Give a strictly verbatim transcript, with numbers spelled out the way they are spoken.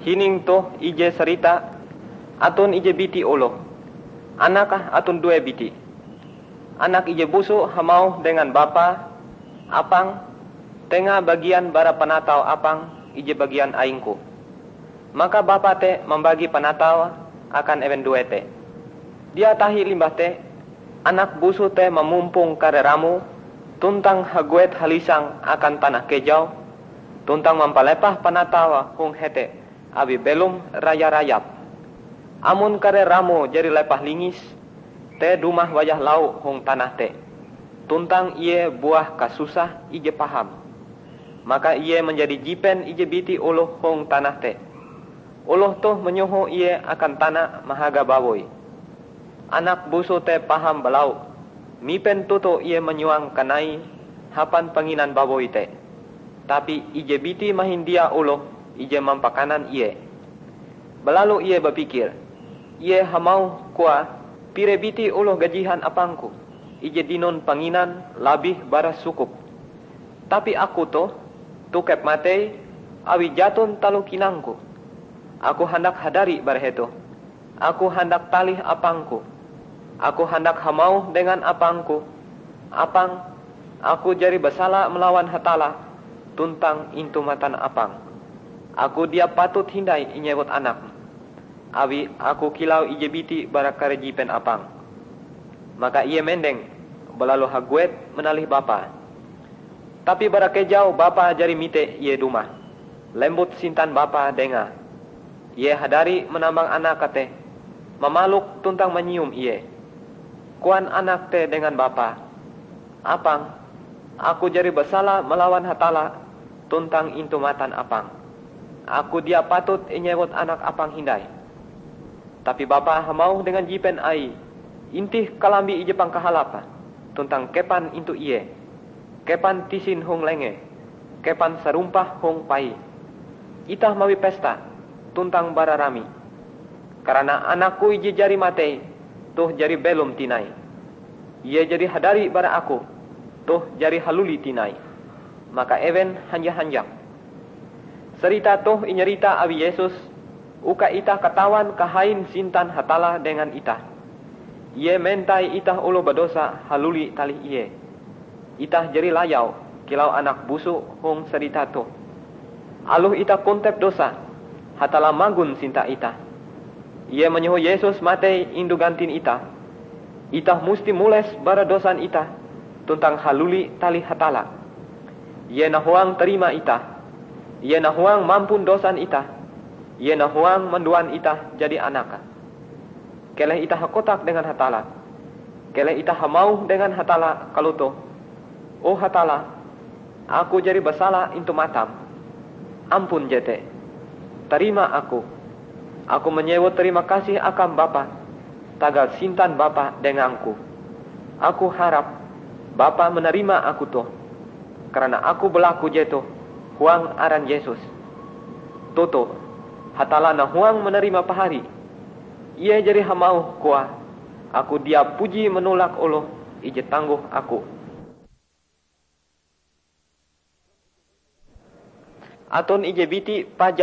Hining toh ije sarita, aton ije biti oloh. Anake aton due biti. Anak ije busu hamauh dengan bapae, 'Apang, tenga bagian bara panatau apang ije bagian aingku.' Maka bapa te mambagi panatau akan ewen due te. Dia tahi limbah te, anak busu te mamumpong kare ramoe tuntang haguet halisang akan tanah kejau, tuntang mampalepah panataue hong hete awi belom raya-rayap. Amon kare ramoe jari lepah lingis, te dumah wayah lau hong tanah te, tuntang ie buah kasusah ije paham, maka ie manjadi jipen ije biti oloh hong tanah te. Oloh toh manyoho ie akan tana mahaga bawoi. Anak busu te paham balau, mipen toto ie manyuang kanai hapan panginan bawoi te. Tapi ije biti mahin dia oloh ije mampakanan ie. Balalu ie bapikir, ie hamauh koae, 'Pire biti oloh gajihan apangku ije dinon panginan labih bara sukup. Tapi aku toh, tokep matei awi jaton taloh kinangku. Aku handak hadari bara hetoh. Aku handak talih apangku. Aku handak hamauh dengan apangku, 'Apang, aku jari basala malawan Hatalla tuntang intu matan apang. Aku dia patut hindai inyewut anakm, awi aku kilau ije biti bara kare jipen apang.' Maka ie mendeng, balalu haguet manalih bapae. Tapi bara kejau bapae jari mite ie dumah, lembut sintan bapae dengae. Ie hadari manambang anake te, mamalok tuntang manyium ie. Koan anak te dengan bapae, 'Apang, aku jari basala malawan Hatalla tuntang intu matan apang. Aku dia patut inyewut anak apang hindai.' Tapi bapae hamauh dengan jipen aie, 'Intih kalambi ije pangkahalap, tuntang kepan intu ie. Kepan tisin hong lengee, kepan sarumpah hong paie. Itah mawi pesta tuntang bararami. Karana anakku ije jari matei, toh jari belom tinai. Ie jari hadari bara aku, toh jari haluli tinai.' Maka ewen hanja-hanjak. Sarita toh inyarita awi Yesus, uka itah katawan kahain sintan Hatalla dengan itah. Ie mentai itah oloh badosa haluli talih Ie. Itah jari layau kilau anak busu hong sarita toh. Aloh itah kontep dosa, Hatalla magon sinta itah. Ie manyoho Yesus matei indu gantin itah. Itah musti mules bara dosan itah tuntang haluli talih Hatalla. Ie nahuang tarima itah. Ie nahuang mampun dosan itah. Ie nahuang manduan itah jadi anake. Keleh itah hakotak dengan Hatalla. Keleh itah hamauh dengan Hatalla kalotoh, 'O Hatalla, aku jari basala intu matam. Ampun jete. Tarima aku. Aku manyewut tarima kasih akam Bapa, tagal sintan Bapa dengangku. Aku harap Bapa manarima aku toh, karana aku balaku jetoh huang aran Yesus.' Toto, Hatalla nahuang manarima pahari. Ie jari hamauh koae, 'Aku dia puji manolak oloh ije tanggoh aku.' Aton ije biti pajak